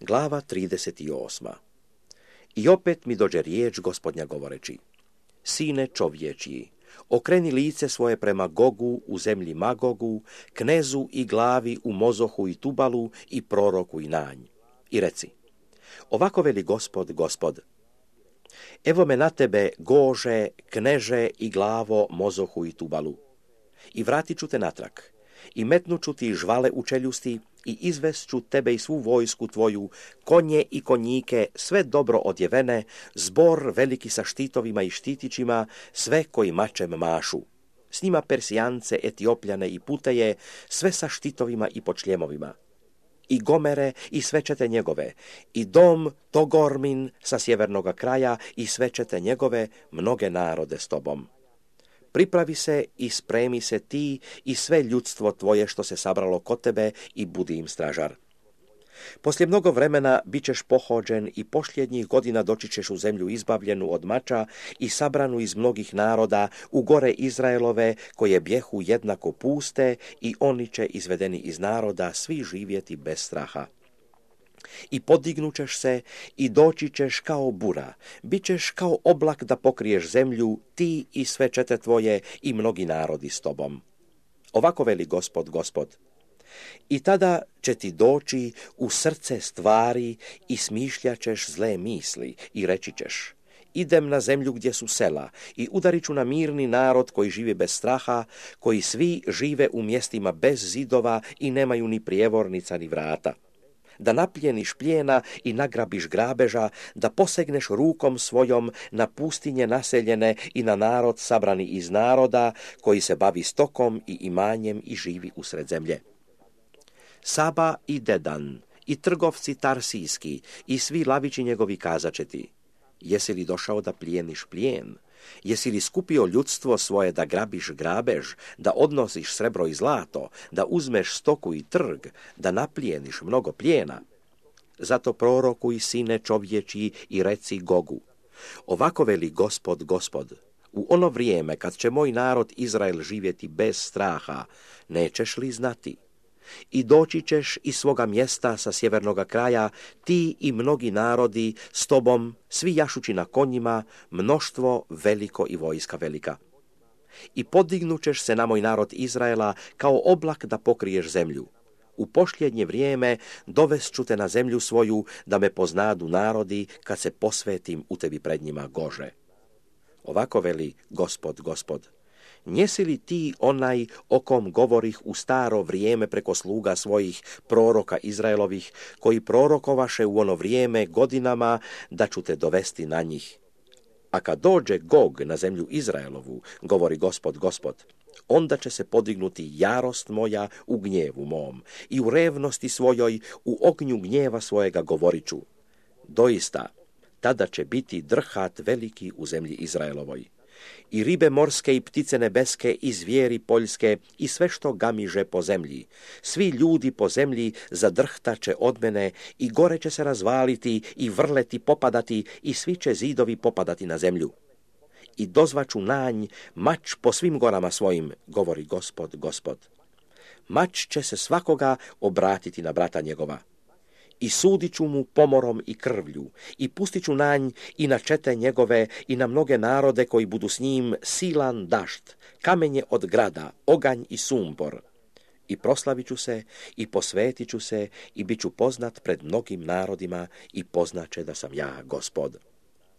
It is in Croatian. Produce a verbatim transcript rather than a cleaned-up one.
Glava trideset osma. I opet mi dođe riječ Gospodnja govoreći: Sine čovječji, okreni lice svoje prema Gogu u zemlji Magogu, knezu i glavi u Mozohu i Tubalu i proroku i Nanj. I reci: Ovako veli Gospod, Gospod: Evo me na tebe, Gože, kneže i glavo Mozohu i Tubalu. I vratit ću te natrag, i metnut ću ti žvale u čeljusti, i izvest ću tebe i svu vojsku tvoju, konje i konjike, sve dobro odjevene, zbor veliki sa štitovima i štitićima, sve koji mačem mašu. S njima Persijance, Etiopljane i Puteje, sve sa štitovima i počljemovima. I Gomere i sve čete njegove, i dom Togormin sa sjevernoga kraja i sve čete njegove, mnoge narode s tobom. Pripravi se i spremi se ti i sve ljudstvo tvoje što se sabralo kod tebe i budi im stražar. Poslije mnogo vremena bit ćeš pohođen i posljednjih godina doći ćeš u zemlju izbavljenu od mača i sabranu iz mnogih naroda u gore Izraelove koje bjehu jednako puste i oni će izvedeni iz naroda svi živjeti bez straha. I podignućeš se i doći ćeš kao bura, bit ćeš kao oblak da pokriješ zemlju, ti i sve čete tvoje i mnogi narodi s tobom. Ovako veli Gospod, Gospod: I tada će ti doći u srce stvari i smišljat ćeš zle misli i reći ćeš: Idem na zemlju gdje su sela i udarit ću na mirni narod koji živi bez straha, koji svi žive u mjestima bez zidova i nemaju ni prijevornica ni vrata. Da napljeniš plijena i nagrabiš grabeža, da posegneš rukom svojom na pustinje naseljene i na narod sabrani iz naroda, koji se bavi stokom i imanjem i živi usred zemlje. Saba i Dedan, i trgovci tarsijski, i svi lavići njegovi kazaće ti: Jesi li došao da plijeniš plijen? Jesi li skupio ljudstvo svoje da grabiš grabež, da odnosiš srebro i zlato, da uzmeš stoku i trg, da naplijeniš mnogo plijena? Zato prorokuj, sine čovječji, i reci Gogu: Ovako veli Gospod, Gospod: U ono vrijeme kad će moj narod Izrael živjeti bez straha, nećeš li znati? I doći ćeš iz svoga mjesta sa sjevernoga kraja, ti i mnogi narodi s tobom, svi jašući na konjima, mnoštvo veliko i vojska velika. I podignućeš se na moj narod Izraela kao oblak da pokriješ zemlju. U posljednje vrijeme dovest ću te na zemlju svoju, da me poznadu narodi kad se posvetim u tebi pred njima, Gože. Ovako veli Gospod, Gospod: Njesi li ti onaj o kom govorih u staro vrijeme preko sluga svojih proroka Izraelovih, koji prorokovaše u ono vrijeme godinama da ću te dovesti na njih? A kad dođe Gog na zemlju Izraelovu, govori Gospod, Gospod, onda će se podignuti jarost moja u gnjevu mom i u revnosti svojoj, u ognju gnjeva svojega govorit ću: Doista, tada će biti drhat veliki u zemlji Izraelovoj. I ribe morske i ptice nebeske i zvijeri poljske i sve što gamiže po zemlji. Svi ljudi po zemlji zadrhtaće od mene i gore će se razvaliti i vrleti popadati i svi će zidovi popadati na zemlju. I dozvaću nanj mač po svim gorama svojim, govori Gospod, Gospod. Mač će se svakoga obratiti na brata njegova. I sudit ću mu pomorom i krvlju, i pustit ću nanj i na čete njegove i na mnoge narode koji budu s njim silan dašt, kamenje od grada, oganj i sumpor. I proslavit ću se i posvetit ću se i bit ću poznat pred mnogim narodima i poznaće da sam ja Gospod.